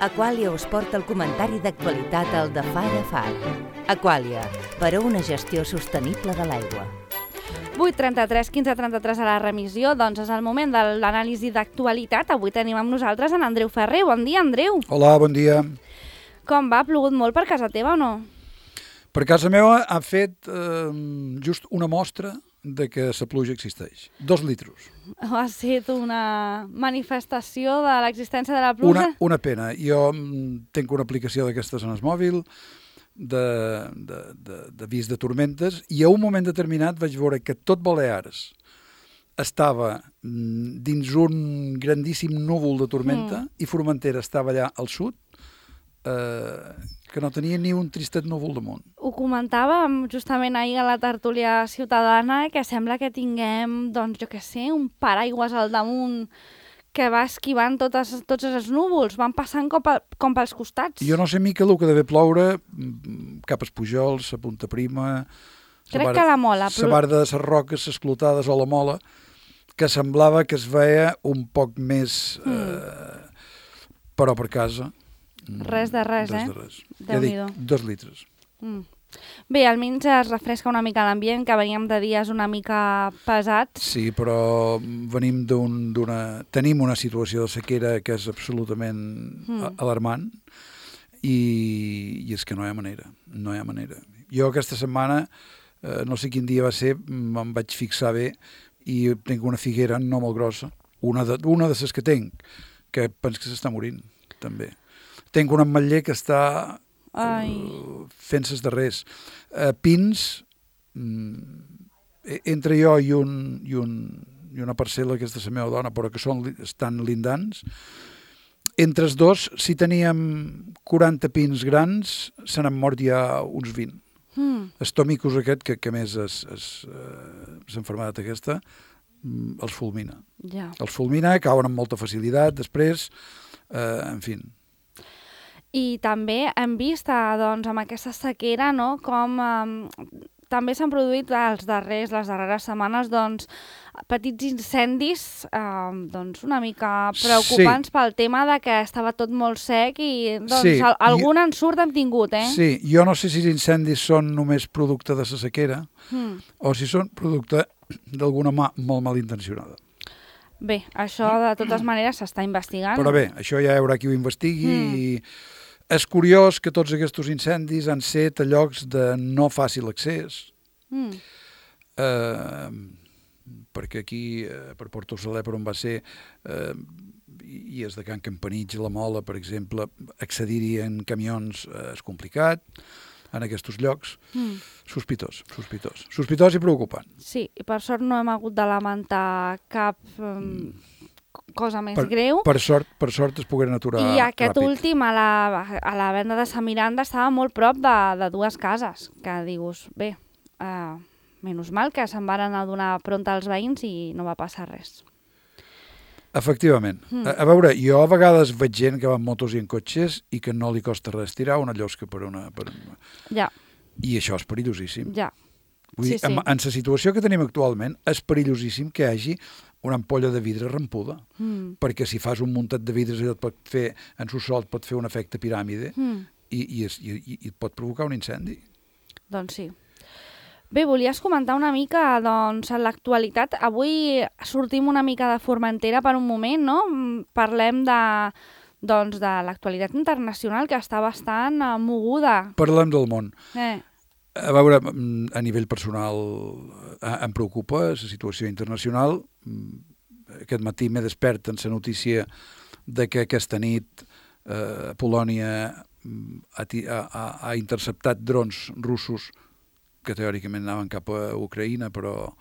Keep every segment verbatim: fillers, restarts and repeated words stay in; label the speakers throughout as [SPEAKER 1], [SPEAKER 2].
[SPEAKER 1] Aqualia us porta el comentari d'actualitat al de Far a Far. Aqualia, per a una gestió sostenible de l'aigua.
[SPEAKER 2] vuit trenta-tres, quinze trenta-tres a la remissió, doncs és el moment de l'anàlisi d'actualitat. Avui tenim amb nosaltres en Andreu Ferrer. Bon dia, Andreu.
[SPEAKER 3] Hola, bon dia.
[SPEAKER 2] Com va? Ha plogut molt per casa teva o no?
[SPEAKER 3] Per casa meva ha fet eh, just una mostra de que la pluja existeix. Dos litros.
[SPEAKER 2] Ha estat una manifestació de l'existència de la pluja?
[SPEAKER 3] Una, una pena. Jo mm, tinc una aplicació d'aquestes en el mòbil d'avís de, de, de tormentes i a un moment determinat vaig veure que tot Balears estava mm, dins un grandíssim núvol de tormenta mm. i Formentera estava allà al sud, eh, que no tenia ni un tristet núvol damunt.
[SPEAKER 2] Ho comentàvem justament ahir a la tertúlia ciutadana, que sembla que tinguem, doncs jo què sé, un paraigües al damunt que va esquivant totes, tots els núvols, van passant com, pel, com pels costats.
[SPEAKER 3] Jo no sé, mica, el que deve ploure cap als Pujols, a Punta Prima...
[SPEAKER 2] Crec bar, que la Mola...
[SPEAKER 3] La barda de les roques esclotades o la Mola, que semblava que es veia un poc més... Mm. Eh, però per casa...
[SPEAKER 2] Res de res,
[SPEAKER 3] res
[SPEAKER 2] eh?
[SPEAKER 3] De res. Ja dic, dos litres.
[SPEAKER 2] Mm. Bé, almenys es refresca una mica l'ambient, que veníem de dies una mica pesats.
[SPEAKER 3] Sí, però venim d'una... Tenim una situació de sequera que és absolutament mm. alarmant i, i és que no hi ha manera, no hi ha manera. Jo aquesta setmana, eh, no sé quin dia va ser, me'n vaig fixar bé i tinc una figuera no molt grossa, una de, una de les que tinc, que penso que s'està morint, també. Tinc un ametller que està... Uh, fent ses darrers uh, pins mm, entre jo i, un, i, un, i una parcel·la que és de la meva dona però que són, estan lindants, entre els dos, si teníem quaranta pins grans, se n'han mort ja uns vint. Mm. El tomicus aquest, que, que més és, és, uh, és enfermedat aquesta, mm, els fulmina.
[SPEAKER 2] Yeah. Els
[SPEAKER 3] fulmina, cauen amb molta facilitat després, uh, en fi.
[SPEAKER 2] I també hem vist, doncs, amb aquesta sequera, no?, com eh, també s'han produït els darrers, les darreres setmanes, doncs, petits incendis, eh, doncs, una mica preocupants sí. Pel tema de que estava tot molt sec i, doncs, sí. al, algun jo... ensurt hem tingut, eh?
[SPEAKER 3] Sí, jo no sé si els incendis són només producte de la sequera mm. o si són producte d'alguna mà molt malintencionada.
[SPEAKER 2] Bé, això de totes maneres s'està investigant.
[SPEAKER 3] Però bé, això ja hi haurà qui ho investigui mm. i és curiós que tots aquests incendis han set a llocs de no fàcil accés, mm. eh, perquè aquí, eh, per Porto Saler, per on va ser, eh, i és de Can Campanich, la Mola, per exemple, accedir-hi en camions eh, és complicat, en aquests llocs, mm. sospitós, sospitós, sospitós i preocupant.
[SPEAKER 2] Sí, i per sort no hem hagut de lamentar cap um, cosa més
[SPEAKER 3] per,
[SPEAKER 2] greu.
[SPEAKER 3] Per sort, per sort es pogueren aturar ràpid.
[SPEAKER 2] I aquest ràpid. últim, a la, a la venda de Sant Miranda, estava molt prop de, de dues cases, que dius, bé, uh, menys mal que se'n varen adonar pront als veïns i no va passar res.
[SPEAKER 3] Efectivament. Mm. A, a veure, jo a vegades veig gent que va en motos i en cotxes i que no li costa res tirar una llosca per una... Per una...
[SPEAKER 2] Ja.
[SPEAKER 3] I això és perillosíssim.
[SPEAKER 2] Ja.
[SPEAKER 3] Vull dir, sí, sí. En, en la situació que tenim actualment és perillosíssim que hi hagi una ampolla de vidre rampuda, mm. perquè si fas un muntat de vidres et pot fer, en su sol et pot fer un efecte piràmide mm. i, i, es, i, i et pot provocar un incendi.
[SPEAKER 2] Doncs sí. Bé, volies comentar una mica, doncs, en l'actualitat. Avui sortim una mica de Formentera per un moment, no? Parlem de, doncs, de l'actualitat internacional, que està bastant uh, moguda.
[SPEAKER 3] Parlem del món.
[SPEAKER 2] Eh.
[SPEAKER 3] A veure, a nivell personal em preocupa la situació internacional. Aquest matí m'he despert en la notícia de que aquesta nit eh, Polònia ha, ha, ha interceptat drons russos que teòricament anaven cap a Ucraïna, però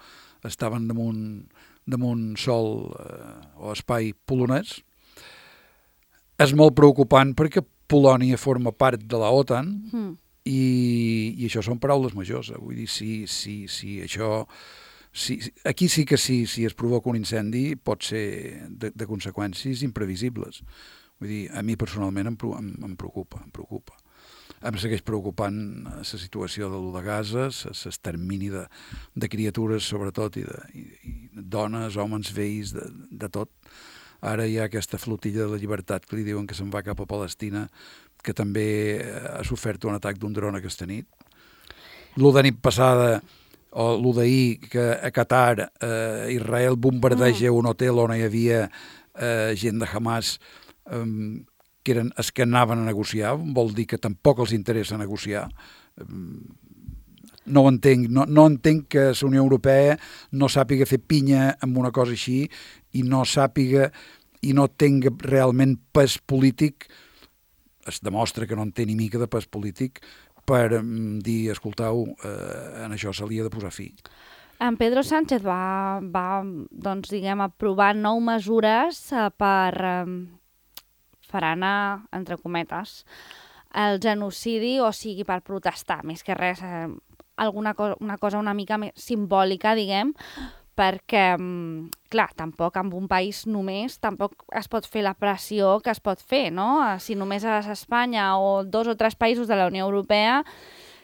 [SPEAKER 3] estaven damunt, damunt sol eh, o espai polonès. És molt preocupant perquè Polònia forma part de la OTAN, mm. I, i això són paraules majors. Eh? Vull dir, si, si, si això... Si, aquí sí que sí, si es provoca un incendi pot ser de, de conseqüències imprevisibles. Vull dir, a mi personalment em, em, em preocupa, em preocupa. Em segueix preocupant la situació de l'U de Gaza, l'extermini de, de criatures, sobretot, i de i, i dones, homes, vells, de, de tot. Ara hi ha aquesta flotilla de la llibertat que li diuen que se'n va cap a Palestina, que també ha sofert un atac d'un dron aquesta nit. L'u de nit passada, o l'u d'ahir, que a Qatar eh, Israel bombardeja mm. un hotel on hi havia eh, gent de Hamas eh, que eren els que anaven a negociar, vol dir que tampoc els interessa negociar. No ho entenc, no, no entenc que la Unió Europea no sàpiga fer pinya amb una cosa així i no sàpiga i no tingui realment pes polític. Es demostra que no en té ni mica de pes polític per um, dir, escoltau, eh, en això se li ha de posar fi.
[SPEAKER 2] En Pedro Sánchez va, va doncs, diguem, aprovar nou mesures eh, per eh, frenar, entre cometes, el genocidi, o sigui, per protestar, més que res, eh, alguna cosa, una cosa una mica més simbòlica, diguem, perquè, clar, tampoc en un país només tampoc es pot fer la pressió que es pot fer, no? Si només és Espanya o dos o tres països de la Unió Europea,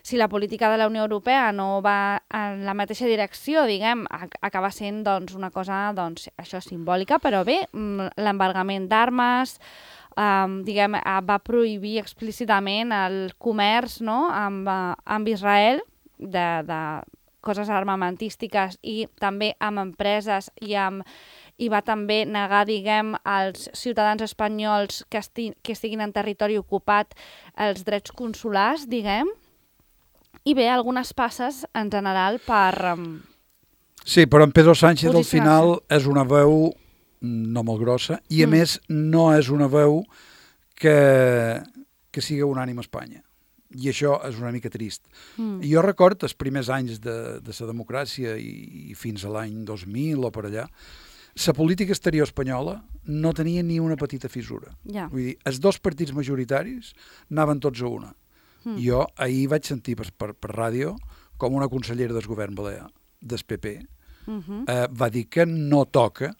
[SPEAKER 2] si la política de la Unió Europea no va en la mateixa direcció, diguem, acaba sent doncs, una cosa, doncs, això, simbòlica, però bé, l'embargament d'armes, Um, diguem, va prohibir explícitament el comerç, no?, amb, amb Israel de, de coses armamentístiques i també amb empreses i, amb, i va també negar, diguem, als ciutadans espanyols que, esti, que estiguin en territori ocupat els drets consulars, diguem, i bé, algunes passes en general per... Um,
[SPEAKER 3] sí, però en Pedro Sánchez al final és una veu no molt grossa, i a mm. més no és una veu que, que siga unànime a Espanya. I això és una mica trist. Mm. Jo record els primers anys de, de la democràcia i, i fins a l'any dos mil o per allà, la política exterior espanyola no tenia ni una petita fissura.
[SPEAKER 2] Yeah.
[SPEAKER 3] Vull dir, els dos partits majoritaris anaven tots a una. Mm. Jo ahir vaig sentir per, per, per ràdio com una consellera del govern balear, del P P, mm-hmm. eh, va dir que no toca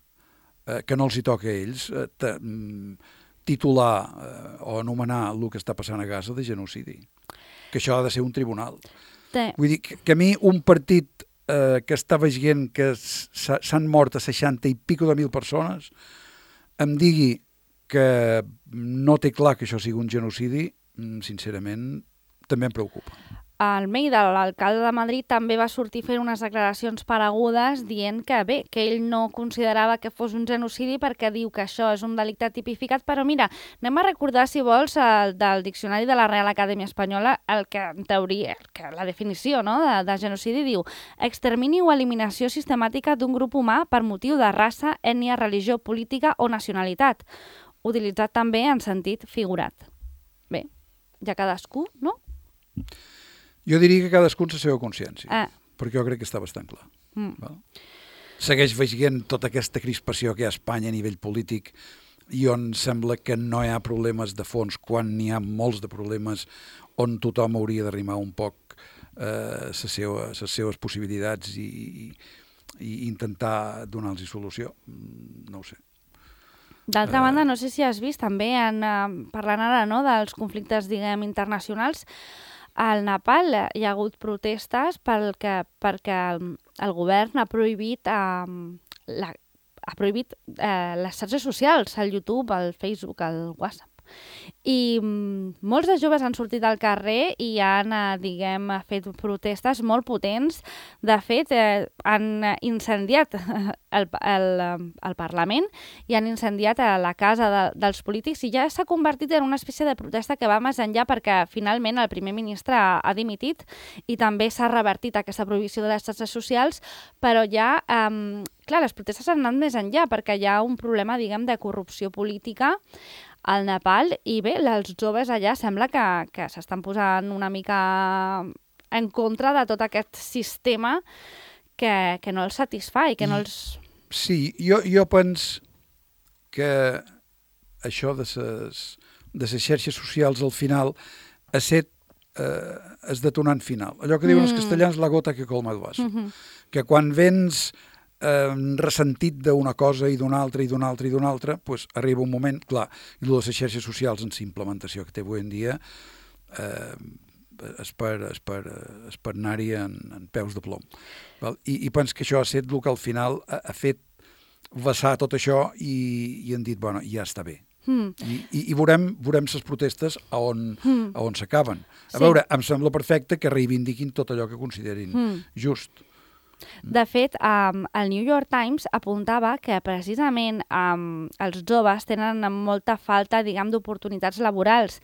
[SPEAKER 3] que no els hi toca a ells eh, t- titular eh, o anomenar el que està passant a Gaza de genocidi. Que això ha de ser un tribunal.
[SPEAKER 2] Sí.
[SPEAKER 3] Vull dir que, que a mi un partit eh, que està veient que s'han mort a seixanta i pico de mil persones em digui que no té clar que això sigui un genocidi, sincerament, també em preocupa.
[SPEAKER 2] Almeida, l'alcalde de Madrid, també va sortir fent unes declaracions paregudes dient que bé, que ell no considerava que fos un genocidi perquè diu que això és un delicte tipificat, però mira, anem a recordar, si vols, el, del diccionari de la Real Acadèmia Espanyola, el que en teoria, que la definició, no?, de, de genocidi diu extermini o eliminació sistemàtica d'un grup humà per motiu de raça, ètnia, religió, política o nacionalitat, utilitzat també en sentit figurat. Bé, ja cadascú, no?
[SPEAKER 3] Jo diria que cadascú en la seva consciència,
[SPEAKER 2] ah.
[SPEAKER 3] perquè jo crec que està bastant clar.
[SPEAKER 2] Mm.
[SPEAKER 3] Val? Segueix veient tota aquesta crispació que hi ha a Espanya a nivell polític i on sembla que no hi ha problemes de fons quan n'hi ha molts de problemes on tothom hauria d'arrimar un poc eh, les seva, seves possibilitats i, i, i intentar donar-los solució. No ho sé.
[SPEAKER 2] D'altra uh... banda, no sé si has vist també, en, uh, parlant ara, no, dels conflictes, diguem, internacionals, al Nepal hi ha hagut protestes pel que, perquè el, el govern ha prohibit, eh, la, ha prohibit eh, les xarxes socials, el YouTube, el Facebook, el WhatsApp. I mm, molts de joves han sortit al carrer i han, eh, diguem, fet protestes molt potents. De fet, eh, han incendiat el, el, el Parlament i han incendiat la casa de, dels polítics i ja s'ha convertit en una espècie de protesta que va més enllà perquè finalment el primer ministre ha, ha dimitit i també s'ha revertit aquesta prohibició de les xarxes socials, però ja... Eh, clar, les protestes han anat més enllà perquè hi ha un problema, diguem, de corrupció política al Nepal i bé, els joves allà sembla que, que s'estan posant una mica en contra de tot aquest sistema que, que no els satisfà i que no els...
[SPEAKER 3] Sí, jo, jo penso que això de les de ses xarxes socials al final ha set eh, el detonant final. Allò que diuen mm. els castellans, la gota que colma el vaso. Mm-hmm. Que quan vens eh, ressentit d'una cosa i d'una altra i d'una altra i d'una altra, pues, arriba un moment, clar, i les xarxes socials en la implementació que té avui en dia eh, és per, és per, és per anar-hi en, en peus de plom. Val? I, I penso que això ha set el que al final ha, ha fet vessar tot això i, i han dit, bueno, ja està bé.
[SPEAKER 2] Mm.
[SPEAKER 3] I, i, i veurem, veurem les protestes a on,
[SPEAKER 2] mm.
[SPEAKER 3] a on s'acaben. A
[SPEAKER 2] sí.
[SPEAKER 3] veure, em sembla perfecte que reivindiquin tot allò que considerin mm. just.
[SPEAKER 2] De fet, um, el New York Times apuntava que precisament um, els joves tenen molta falta, diguem, d'oportunitats laborals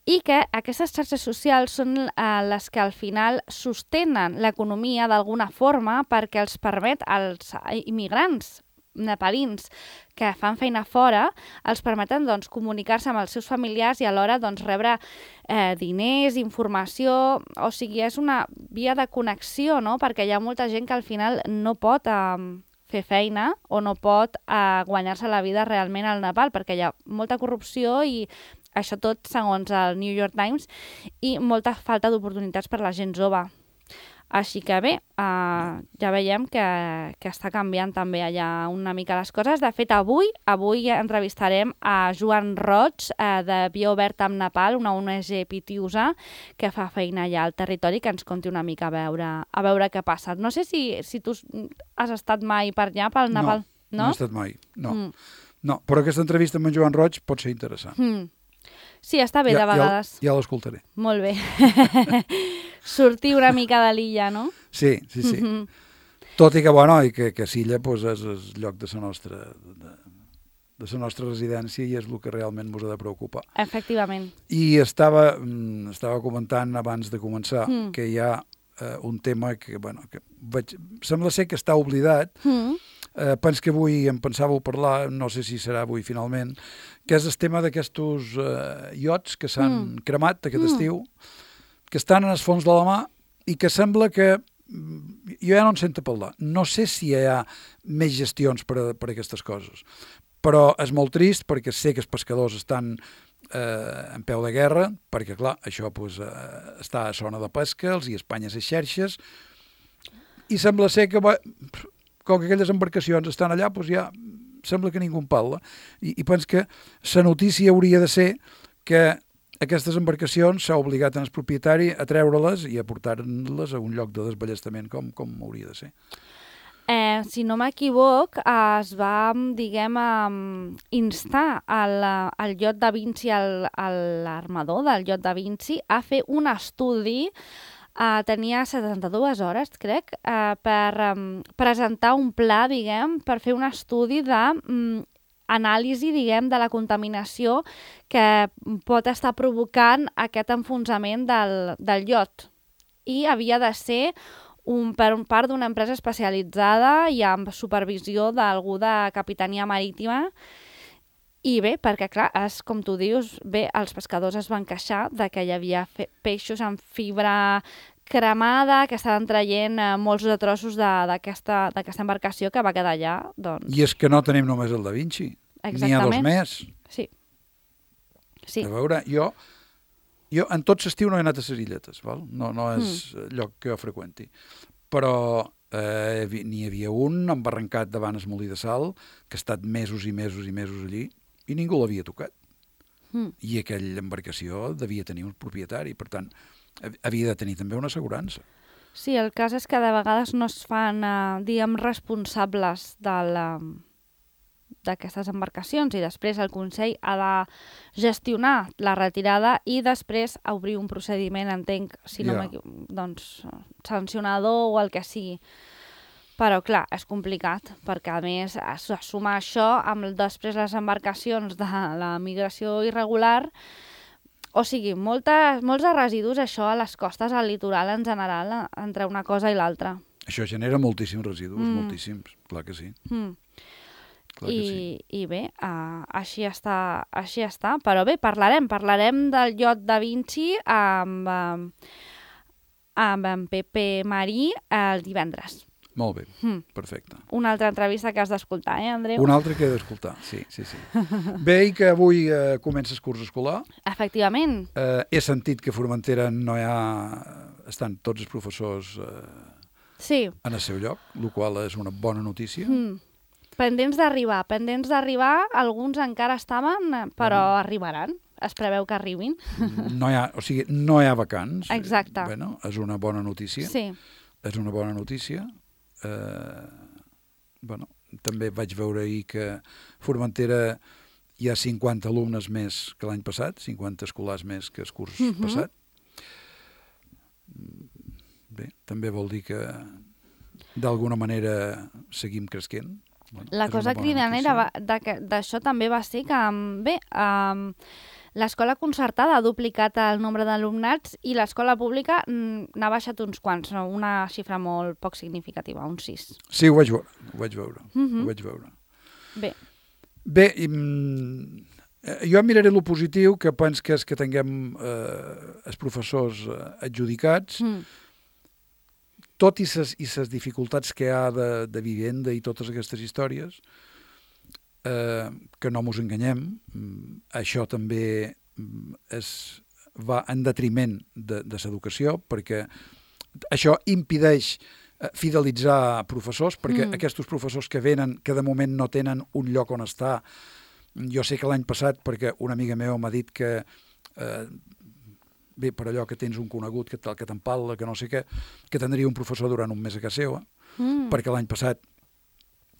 [SPEAKER 2] i que aquestes xarxes socials són uh, les que al final sostenen l'economia d'alguna forma perquè els permet als immigrants nepalins que fan feina fora, els permeten doncs, comunicar-se amb els seus familiars i alhora doncs, rebre eh, diners, informació, o sigui, és una via de connexió, no? Perquè hi ha molta gent que al final no pot eh, fer feina o no pot eh, guanyar-se la vida realment al Nepal, perquè hi ha molta corrupció i això tot segons el New York Times i molta falta d'oportunitats per la gent jove. Així que bé, uh, ja veiem que, que està canviant també allà una mica les coses. De fet, avui avui entrevistarem a Joan Roig, uh, de Via Oberta amb Nepal, una O N G pitiusa que fa feina allà al territori, que ens conti una mica a veure, a veure què passa. No sé si, si tu has estat mai per allà, pel Nepal.
[SPEAKER 3] No, no, no he estat mai, no.
[SPEAKER 2] Mm.
[SPEAKER 3] No, però aquesta entrevista amb en Joan Roig pot ser interessant.
[SPEAKER 2] Mm. Sí, està bé,
[SPEAKER 3] ja,
[SPEAKER 2] de vegades.
[SPEAKER 3] Ja, ja l'escoltaré.
[SPEAKER 2] Molt bé. Sortir una mica de l'illa, no?
[SPEAKER 3] Sí, sí, sí. Mm-hmm. Tot i que, bueno, i que, que Silla pues, és el lloc de la nostra, de, de la nostra residència i és el que realment ens ha de preocupar.
[SPEAKER 2] Efectivament.
[SPEAKER 3] I estava, estava comentant abans de començar mm. que hi ha eh, un tema que, bueno, que vaig, sembla ser que està oblidat. Mm. Eh, pens que avui em pensàveu parlar, no sé si serà avui finalment, que és el tema d'aquests eh, iots que s'han mm. cremat aquest mm. estiu, que estan en el fons de la mar i que sembla que jo ja no en sento parlar. No sé si hi ha més gestions per a, per a aquestes coses, però és molt trist perquè sé que els pescadors estan eh, en peu de guerra, perquè clar, això pues, eh, està a zona de pesca, els hi espanya les xerxes, i sembla ser que va, com que aquelles embarcacions estan allà, doncs ja sembla que ningú en parla. I, i penso que la notícia hauria de ser que aquestes embarcacions s'ha obligat en el propietari a treure-les i a portar-les a un lloc de desballestament com, com hauria de ser.
[SPEAKER 2] Eh, si no m'equivoc, es va, diguem, instar el, el iot Da Vinci, l'armador del iot Da Vinci, a fer un estudi. Uh, tenia setanta-dues hores, crec, uh, per um, presentar un pla, diguem, per fer un estudi de um, anàlisi, diguem, de la contaminació que pot estar provocant aquest enfonsament del, del iot. I havia de ser un, per un part d'una empresa especialitzada i amb supervisió d'algú de capitania marítima. I bé, perquè clar, és, com tu dius, bé, els pescadors es van queixar de que hi havia peixos amb fibra cremada, que estaven traient eh, molts de trossos d'aquesta embarcació que va quedar allà. Doncs...
[SPEAKER 3] I és que no tenim només el Da Vinci, n'hi ha dos més.
[SPEAKER 2] Sí. sí.
[SPEAKER 3] A veure, jo, jo en tot l'estiu no he anat a les illetes, val? No, no és mm. lloc que jo freqüenti, però eh, n'hi havia un embarrancat davant el molí de sal, que ha estat mesos i mesos i mesos allí, i ningú l'havia tocat. Mm. I aquella embarcació devia tenir un propietari, per tant, havia de tenir també una assegurança.
[SPEAKER 2] Sí, el cas és que de vegades no es fan, eh, diguem, responsables d'aquestes embarcacions i després el Consell ha de gestionar la retirada i després obrir un procediment, entenc, si no yeah. doncs, sancionador o el que sigui. Però, clar, és complicat, perquè, a més, es suma això amb després les embarcacions de la migració irregular. O sigui, moltes, molts de residus, això, a les costes, al litoral en general, entre una cosa i l'altra.
[SPEAKER 3] Això genera moltíssims residus, mm. moltíssims, clar que sí. Mm. Clar
[SPEAKER 2] I,
[SPEAKER 3] que sí.
[SPEAKER 2] I bé, uh, així, està, així està. Però bé, parlarem, parlarem del iot Da Vinci amb, uh, amb en Pepe Marí el divendres.
[SPEAKER 3] Molt bé, mm. perfecte.
[SPEAKER 2] Una altra entrevista que has d'escoltar, eh, Andreu?
[SPEAKER 3] Una altra que he d'escoltar, sí, sí, sí. Bé, i que avui eh, comença el curs escolar.
[SPEAKER 2] Efectivament.
[SPEAKER 3] Eh, he sentit que a Formentera no hi ha... estan tots els professors eh,
[SPEAKER 2] sí.
[SPEAKER 3] en el seu lloc, el qual és una bona notícia.
[SPEAKER 2] Mm. Pendents d'arribar, pendents d'arribar, alguns encara estaven, però mm. arribaran. Es preveu que arribin.
[SPEAKER 3] No hi ha, o sigui, no hi ha vacants.
[SPEAKER 2] Exacte.
[SPEAKER 3] Bueno, és una bona notícia.
[SPEAKER 2] Sí.
[SPEAKER 3] És una bona notícia. Eh, bueno, també vaig veure ahir que Formentera hi ha cinquanta alumnes més que l'any passat, cinquanta escolars més que el curs uh-huh. passat. Bé, també vol dir que d'alguna manera seguim cresquent. Bueno,
[SPEAKER 2] la cosa cridanera d'això també va ser que, bé, um, l'escola concertada ha duplicat el nombre d'alumnats i l'escola pública n'ha baixat uns quants, una xifra molt poc significativa, uns sis.
[SPEAKER 3] Sí, ho vaig veure, ho vaig veure.
[SPEAKER 2] Uh-huh.
[SPEAKER 3] Ho vaig veure.
[SPEAKER 2] Bé.
[SPEAKER 3] Bé, i, jo miraré lo positiu, que pens que és que tinguem eh, els professors adjudicats, mm. tot i ses, i ses dificultats que hi ha de, de vivenda i totes aquestes històries, eh, que no mos enganyem, això també es va en detriment de, de l'educació, perquè això impedeix fidelitzar professors, perquè mm. aquests professors que venen, que de moment no tenen un lloc on estar. Jo sé que l'any passat, perquè una amiga meva m'ha dit que eh, bé, per allò que tens un conegut que, que t'empal·la, que no sé què, que tindria un professor durant un mes a casa seva, mm. perquè l'any passat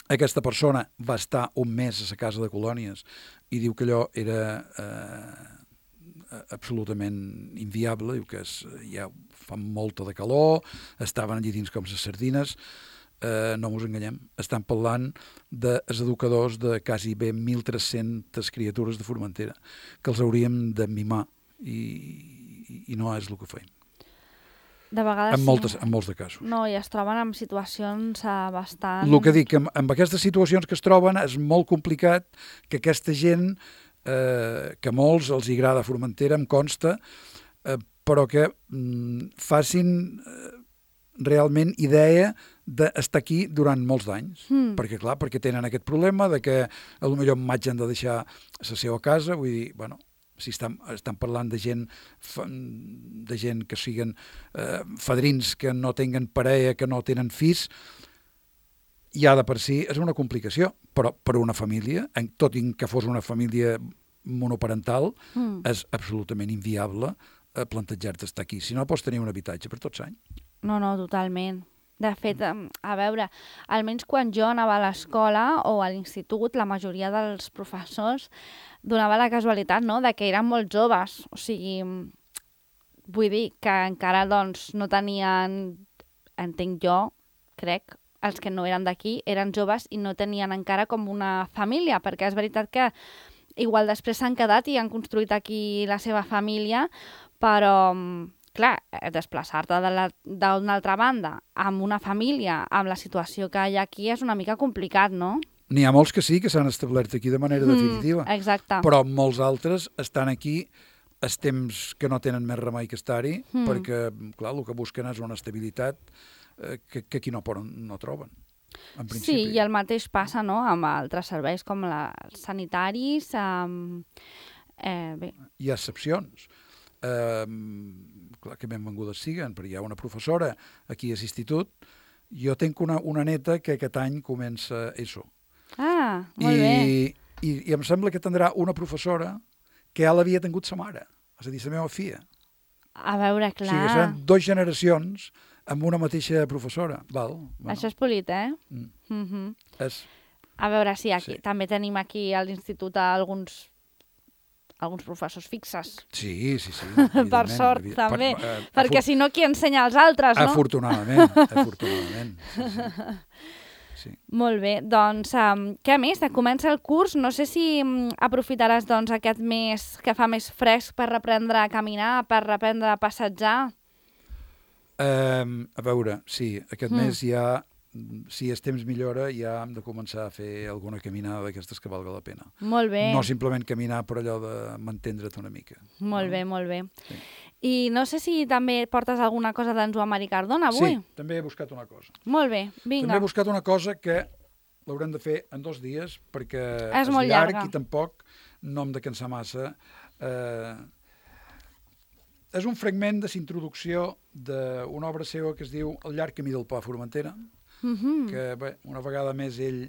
[SPEAKER 3] aquesta persona va estar un mes a la casa de colònies i diu que allò era eh, absolutament inviable, diu que es, ja fa molta de calor, estaven allí dins com les sardines, eh, no mos enganyem, estan parlant dels educadors de quasi bé mil tres-centes criatures de Formentera, que els hauríem de mimar i i no és el que feim.
[SPEAKER 2] De vegades
[SPEAKER 3] en, moltes, en molts de casos.
[SPEAKER 2] No, i es troben en situacions uh, bastant...
[SPEAKER 3] El que dic, amb, amb aquestes situacions que es troben és molt complicat que aquesta gent, eh, que a molts els agrada Formentera, em consta, eh, però que mm, facin eh, realment idea d'estar aquí durant molts d'anys. Mm. Perquè, clar, perquè tenen aquest problema de que potser en maig han de deixar la seva casa, vull dir, bueno, si estan, estan parlant de gent de gent que siguin eh, fadrins, que no tenen parella, que no tenen fills, ja de per si és una complicació, però per una família, tot i que fos una família monoparental, mm. és absolutament inviable eh, plantejar-te estar aquí. Si no, pots tenir un habitatge per tots anys.
[SPEAKER 2] No, no, totalment. De fet, a veure, almenys quan jo anava a l'escola o a l'institut, la majoria dels professors donava la casualitat, no?, de que eren molt joves. O sigui, vull dir que encara doncs, no tenien, entenc jo, crec, els que no eren d'aquí, eren joves i no tenien encara com una família, perquè és veritat que igual després s'han quedat i han construït aquí la seva família, però... clar, desplaçar-te d'una altra banda amb una família, amb la situació que hi ha aquí, és una mica complicat, no?
[SPEAKER 3] N'hi ha molts que sí, que s'han establert aquí de manera definitiva.
[SPEAKER 2] Mm, exacte.
[SPEAKER 3] Però molts altres estan aquí els temps que no tenen més remei que estar-hi, mm. perquè, clar, el que busquen és una estabilitat eh, que, que aquí no, poden, no troben. En principi.
[SPEAKER 2] Sí, i el mateix passa, no?, amb altres serveis com la, els sanitaris. Amb, eh, bé.
[SPEAKER 3] Hi ha excepcions. Eh, clar que benvingudes siguen, perquè hi ha una professora aquí a l'institut. Jo tinc una, una neta que aquest any comença ESO.
[SPEAKER 2] Ah, molt
[SPEAKER 3] I,
[SPEAKER 2] bé.
[SPEAKER 3] I, I em sembla que tindrà una professora que ja l'havia tingut sa mare, és a dir, la meva filla.
[SPEAKER 2] A veure, clar.
[SPEAKER 3] O sigui, seran dues generacions amb una mateixa professora. Val?
[SPEAKER 2] Bueno. Això és polit, eh?
[SPEAKER 3] Mm.
[SPEAKER 2] Mm-hmm.
[SPEAKER 3] És...
[SPEAKER 2] A veure, sí, aquí,
[SPEAKER 3] sí.
[SPEAKER 2] també tenim aquí a l'institut alguns... alguns professors fixes.
[SPEAKER 3] Sí, sí, sí.
[SPEAKER 2] Per sort,
[SPEAKER 3] evident.
[SPEAKER 2] també.
[SPEAKER 3] Per, uh,
[SPEAKER 2] perquè si no, qui ensenya als altres, no?
[SPEAKER 3] Afortunadament, afortunadament. Sí, sí. Sí.
[SPEAKER 2] Molt bé, doncs, um, què més? Comença el curs, no sé si um, aprofitaràs doncs, aquest mes que fa més fresc per reprendre a caminar, per reprendre a passejar?
[SPEAKER 3] Um, a veure, sí, aquest
[SPEAKER 2] mm.
[SPEAKER 3] mes ja, si el temps millora, ja hem de començar a fer alguna caminada d'aquestes que valga la pena.
[SPEAKER 2] Molt bé.
[SPEAKER 3] No simplement caminar per allò de mantendre't una mica.
[SPEAKER 2] Molt
[SPEAKER 3] no?
[SPEAKER 2] bé, molt bé.
[SPEAKER 3] Sí.
[SPEAKER 2] I no sé si també portes alguna cosa d'en Joan Mari Cardona avui.
[SPEAKER 3] Sí, també he buscat una cosa.
[SPEAKER 2] Molt bé, vinga.
[SPEAKER 3] També he buscat una cosa que l'haurem de fer en dos dies, perquè
[SPEAKER 2] és,
[SPEAKER 3] és
[SPEAKER 2] molt
[SPEAKER 3] llarg
[SPEAKER 2] llarga.
[SPEAKER 3] I tampoc no hem de cansar massa. Eh, és un fragment de la introducció d'una obra seva que es diu El llarg camí del pa a Formentera, mm-hmm. que bé, una vegada més ell,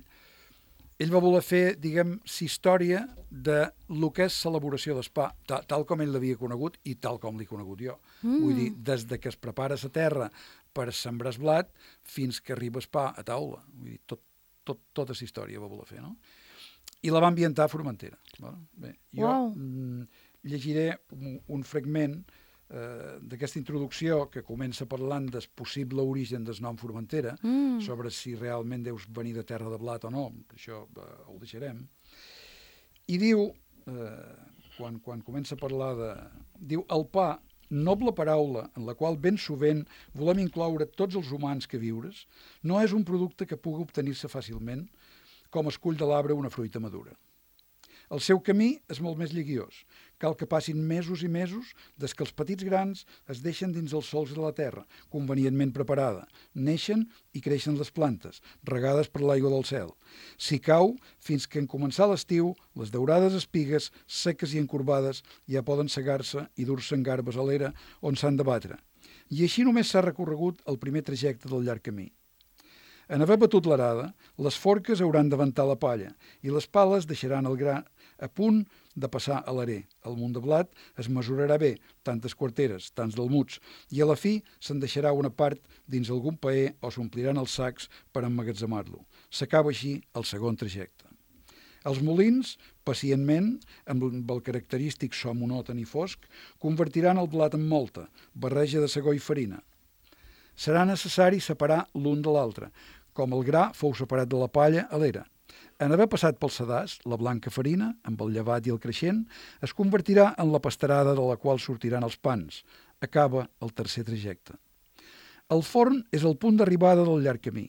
[SPEAKER 3] ell va voler fer, diguem, la història de lo que és l'elaboració del pa, tal, tal com ell l'havia conegut i tal com l'he conegut jo. Mm. Vull dir, des de que es prepara la terra per sembrar el blat fins que arriba el pa a taula. Vull dir, tot, tot, tota aquesta història va voler fer, no? I la va ambientar a Formentera. Bé, jo
[SPEAKER 2] Wow.
[SPEAKER 3] mm, llegiré un, un fragment eh, d'aquesta introducció que comença parlant del possible origen del nom Formentera,
[SPEAKER 2] Mm.
[SPEAKER 3] sobre si realment deus venir de terra de blat o no, això eh, ho deixarem. I diu, eh, quan, quan comença a parlar de... Diu, el pa, noble paraula en la qual ben sovint volem incloure tots els humans que viures, no és un producte que pugui obtenir-se fàcilment com es cull de l'arbre una fruita madura. El seu camí és molt més lliguiós. Cal que passin mesos i mesos des que els petits grans es deixen dins els sols de la terra, convenientment preparada. Neixen i creixen les plantes, regades per l'aigua del cel. Si cau, fins que en començar l'estiu, les daurades espigues, seques i encorbades, ja poden segar-se i dur-se en garbes a l'era on s'han de batre. I així només s'ha recorregut el primer trajecte del llarg camí. En haver batut l'arada, les forques hauran d'aventar la palla i les pales deixaran el gra a punt de passar a l'arer. El munt de blat es mesurarà bé, tantes quarteres, tants delmuts, i a la fi se'n deixarà una part dins algun paer o s'ompliran els sacs per emmagatzemar-lo. S'acaba així el segon trajecte. Els molins, pacientment, amb el característic so monòton i fosc, convertiran el blat en molta, barreja de segó i farina. Serà necessari separar l'un de l'altre, com el gra fou separat de la palla a l'era. En haver passat pel sedàs, la blanca farina, amb el llevat i el creixent, es convertirà en la pasterada de la qual sortiran els pans. Acaba el tercer trajecte. El forn és el punt d'arribada del llarg camí.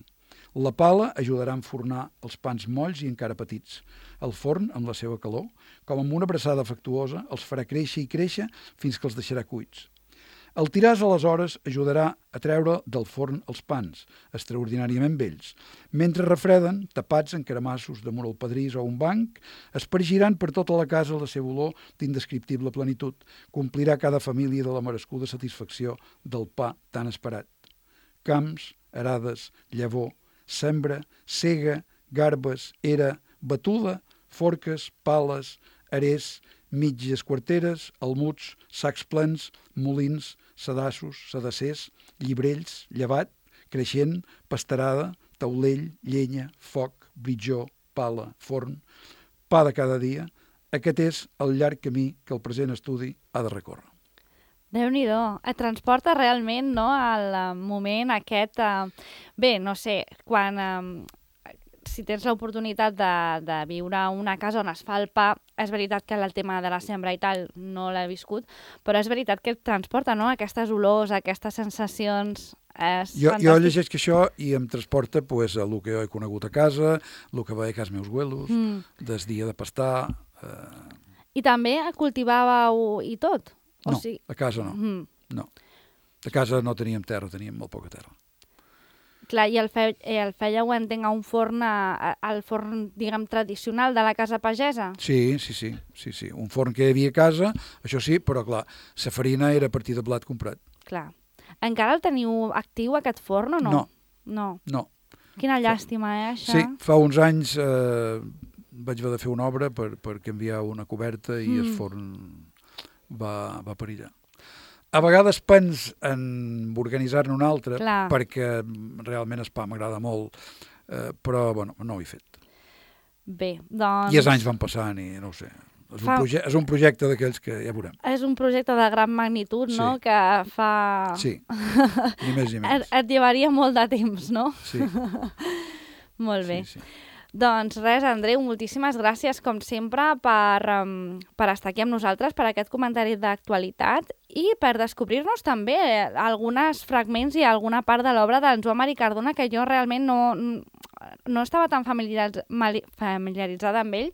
[SPEAKER 3] La pala ajudarà a enfornar els pans molls i encara petits. El forn, amb la seva calor, com amb una abraçada afectuosa, els farà créixer i créixer fins que els deixarà cuits. El tiràs, aleshores, ajudarà a treure del forn els pans, extraordinàriament vells. Mentre refreden, tapats en caramassos damunt el pedrís o un banc, espargiran per tota la casa la seva olor d'indescriptible plenitud. Complirà cada família de la merescuda satisfacció del pa tan esperat. Camps, arades, llavor, sembra, sega, garbes, era, batuda, forques, pales, arers, mitges quarteres, almuds, sacs plens, molins, sedassos, sedassers, llibrells, llevat, creixent, pasterada, taulell, llenya, foc, britjó, pala, forn, pa de cada dia. Aquest és el llarg camí que el present estudi ha de recórrer.
[SPEAKER 2] Déu-n'hi-do, et transporta realment, no?, al moment aquest... Eh, bé, no sé, quan... Eh, si tens l'oportunitat de, de viure a una casa on es fa el pa, és veritat que el tema de la sembra i tal no l'he viscut, però és veritat que et transporta, no?, aquestes olors, aquestes sensacions... És
[SPEAKER 3] jo,
[SPEAKER 2] fantàstic.
[SPEAKER 3] jo llegeixo això i em transporta pues, a el que jo he conegut a casa, el que veia a casa meus abuelos, mm. des dia de pastar... Eh...
[SPEAKER 2] I també cultivàveu i tot? O
[SPEAKER 3] no,
[SPEAKER 2] sigui...
[SPEAKER 3] a casa no.
[SPEAKER 2] Mm.
[SPEAKER 3] no. A casa no teníem terra, teníem molt poca terra.
[SPEAKER 2] Clar, i el, fe, el fèieu, entenc, a un forn, a, al forn, diguem, tradicional de la casa pagesa?
[SPEAKER 3] Sí, sí, sí, sí, sí. Un forn que hi havia a casa, això sí, però clar, la farina era a partir de blat comprat.
[SPEAKER 2] Clar. Encara el teniu actiu, aquest forn, o no?
[SPEAKER 3] No.
[SPEAKER 2] No.
[SPEAKER 3] No.
[SPEAKER 2] Quina llàstima, eh, això?
[SPEAKER 3] Sí, fa uns anys eh, vaig haver de fer una obra per, per canviar una coberta i mm. el forn va, va perillar. A vegades pens en organitzar-ne un altre, Clar. perquè realment el pa m'agrada molt, eh, però bueno, no ho he fet.
[SPEAKER 2] Bé, doncs...
[SPEAKER 3] I els anys van passant i no ho sé. És, Fa... un, proje és un projecte d'aquells que ja veurem.
[SPEAKER 2] És un projecte de gran magnitud, sí. no?, que fa...
[SPEAKER 3] Sí, ni més ni menys.
[SPEAKER 2] Et, et llevaria molt de temps, no?
[SPEAKER 3] Sí.
[SPEAKER 2] Molt bé.
[SPEAKER 3] Sí, sí.
[SPEAKER 2] Doncs res, Andreu, moltíssimes gràcies, com sempre, per, um, per estar aquí amb nosaltres, per aquest comentari d'actualitat i per descobrir-nos també alguns fragments i alguna part de l'obra d'en Joan Marí Cardona que jo realment no, no estava tan familiaritzada amb ell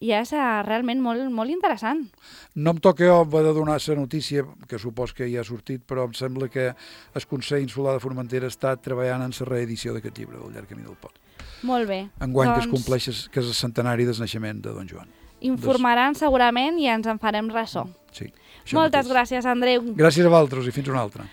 [SPEAKER 2] i és uh, realment molt, molt interessant.
[SPEAKER 3] No em toca jo haver de donar la notícia, que supos que ja ha sortit, però em sembla que el Consell Insular de Formentera està treballant en la reedició d'aquest llibre, del Llarg Camí del Pot.
[SPEAKER 2] Molt bé.
[SPEAKER 3] Enguany doncs... que es compleix, que és el centenari del naixement de Don Joan.
[SPEAKER 2] Informaran doncs... segurament i ens en farem ressò.
[SPEAKER 3] Sí.
[SPEAKER 2] Moltes mateix. Gràcies, Andreu.
[SPEAKER 3] Gràcies a vosaltres i fins una altra.